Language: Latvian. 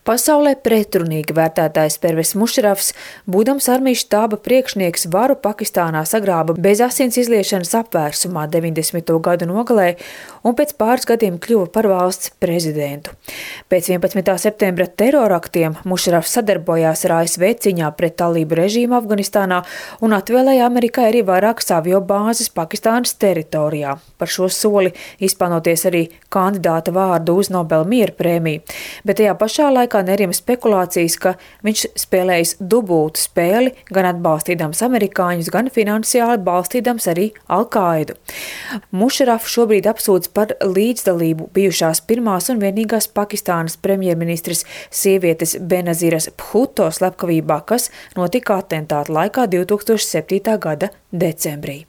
Pasaulē pretrunīgi vērtētais Pervez Mušarafs, būdams armijas štāba priekšnieks, varu Pakistānā sagrāba bez asins izliešanas apvērsumā 90. gadu nogalē un pēc pāris gadiem kļuva par valsts prezidentu. Pēc 11. septembra teroraktiem Mušarafs sadarbojās ar ASV cīņā pret talību režīmu Afganistānā un atvēlēja Amerikai arī vairākas aviobāzes Pakistānas teritorijā. Par šo soli izpelnoties arī kandidāta vārdu uz Nobela miera prēmiju, bet tajā pašā laikā nerima spekulācijas, ka viņš spēlējis dubultu spēli, gan atbalstīdams amerikāņus, gan finansiāli balstīdams arī Al-Qaidu. Mušarafu šobrīd apsūdz par līdzdalību bijušās pirmās un vienīgās Pakistānas premjerministres sievietes Benaziras Bhutto slepkavībā, kas notika atentāta laikā 2007. gada decembrī.